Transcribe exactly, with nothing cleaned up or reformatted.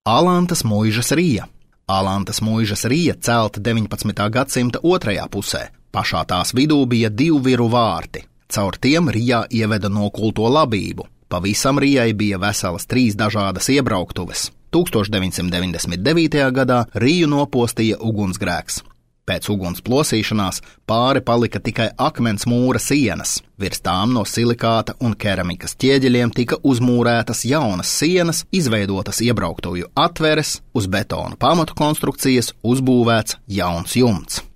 Alantas muižas rija. Alantas muižas rija celta deviņpadsmitā gadsimta otrajā pusē. Pašā tās vidū bija divu viru vārti. Caur tiem rijā ieveda nokulto labību. Pavisam rijai bija veselas trīs dažādas iebrauktuves. tūkstoš deviņsimt deviņdesmit devītajā gadā riju nopostīja ugunsgrēks. Pēc uguns plosīšanās pāri palika tikai akmens mūra sienas. Virs tām no silikāta un keramikas ķieģeļiem tika uzmūrētas jaunas sienas, izveidotas iebrauktuvju atveres, uz betona pamatu konstrukcijas uzbūvēts jauns jumts.